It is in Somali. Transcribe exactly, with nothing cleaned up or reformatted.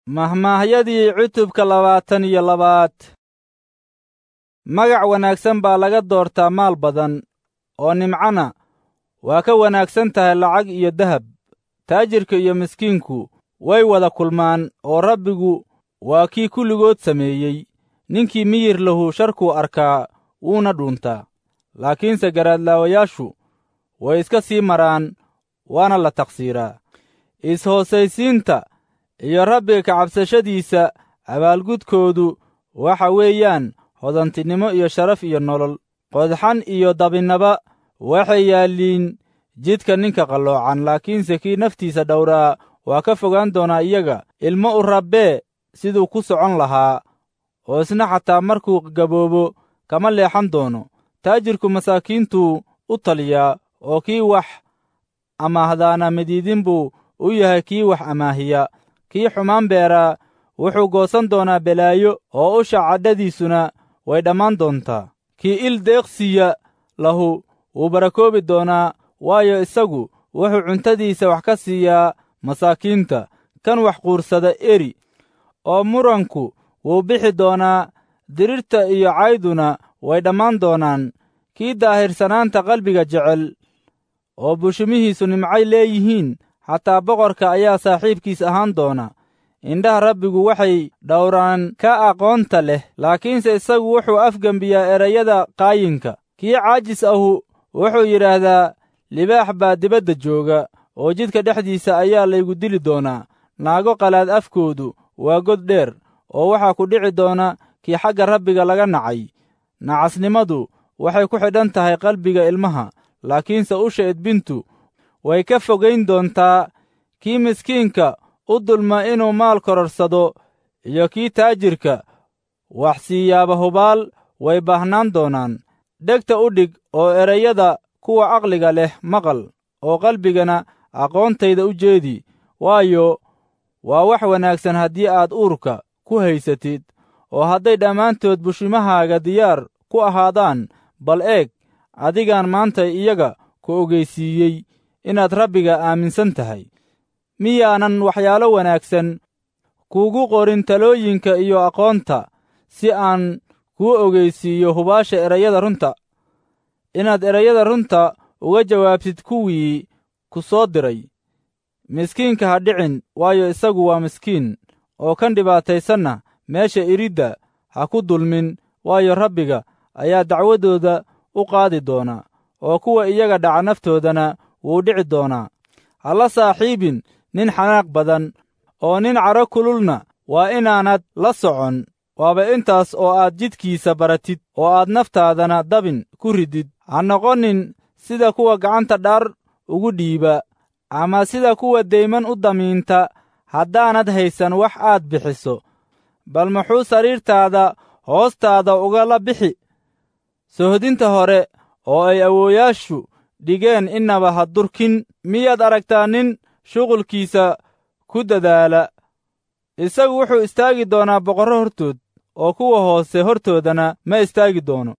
Mahmaahyadii cutubka labaatan iyo labaad. Magac wanaagsan baa laga doortaa maal badan, oo nimcana waa ka wanaagsan tahay lacag iyo dahab. Taajirka iyo miskiinku way wada kulmaan, oo Rabbigu waa kii kulligood sameeyey. Ninkii miyir lahu sharkuu arkaa wuuna dhuuntaa, laakiinse garaadlaawayaashu way iska sii maraan, waana la taqsiiraa. Is-hoosaysiinta iyo Rabbiga ka cabsashadiisa abaalgudkoodu waxa weeyaan hodantinimo iyo sharaf iyo nolol. Qodxan iyo dabinnaba waxay yaalliin jidka ninka qalloocan, laakiinse kii naftiisa dhowraa waa ka fogaan doonaa iyaga. Ilmo u rabbee siduu ku socon lahaa, oo isna xataa markuu gaboobo kama leexan doono. Taajirku masaakiintuu u taliyaa, oo kii wax amaahdaana midiidin buu u yahay kii wax amaahiya. Kii xumaan beeraa wuxuu goosan doonaa belaayo, oo usha cadhadiisuna way dhammaan doontaa. Kii il deeqsiya lahu wuu barakoobi doonaa, waayo, isagu wuxuu cuntadiisa wax ka siiyaa masaakiinta. Kan wax quursada eri, oo muranku wuu bixi doonaa, dirirta iyo cayduna way dhammaan doonaan. Kii daahirsanaanta qalbiga jecel oo bushumihiisu nimcay leeyihiin, xataa boqorka ayaa saaxiibkiis ahaan doona. Indhaha Rabbigu waxay dhowraan ka aqoonta leh, laakiinse isagu wuxuu afgembiyaa erayada qaayinka. Kii caajis ahu wuxuu yidhaahdaa, libaax baa dibadda jooga, oo jidka dhexdiisa ayaa laygu dili doonaa. Naago qalaad afkoodu waa god dheer, oo waxaa ku dhici doona kii xagga Rabbiga laga nacay. Nacasnimadu waxay ku xidhan tahay qalbiga ilmaha, laakiinse usha edbintu way ka fogayn doontaa. Kii miskiinka u dulma inuu maal kororsado iyo kii taajirka wax siiyaaba hubaal way baahnaan doonaan. Dhegta u dhig oo erayada kuwa caqliga leh maqal, oo qalbigana aqoontayda u jeedi, waayo, waa wax wanaagsan haddii aad uurka ku haysatid, oo hadday dhammaantood bushimahaaga diyaar ku ahaadaan. Bal eeg, adigaan maanta iyaga ku ogeysiiyey inaad Rabbiga aaminsan tahay. Miyaanan waxyaalo wanaagsan kuugu qorin talooyinka iyo aqoonta, si aan kuu ogeysiiyo hubaasha erayada runta, inaad erayada runta uga jawaabtid kuwii ku soo diray? Miskiinka ha dhicin, waayo, isagu waa miskiin, oo kan dhibaataysanna meesha iridda ha ku dulmin, waayo, Rabbiga ayaa dacwadooda u qaadi doona, oo kuwa iyaga dhaca naftoodana wuu dhici doonaa. Ha la saaxiibin nin xanaaq badan, oo nin cadho kululna waa inaanad la socon. Waaba intaas oo aad jidkiisa baratid, oo aad naftaadana dabin ku ridid. Ha noqonin sida kuwa gacanta dhaar ugu dhiiba, ama sida kuwa deyman u damiinta haddaanad haysan wax aad bixiso. Bal muxuu sariirtaada hoostaada ugala bixi? Sohdinta hore oo ay awoowayaashu dhigeen innaba ha durkin. Miyaad aragtaa nin shuqulkiisa ku dadaala? Isagu wuxuu istaagi doonaa boqorro hortood, oo kuwa hoose hortoodana ma istaagi doono.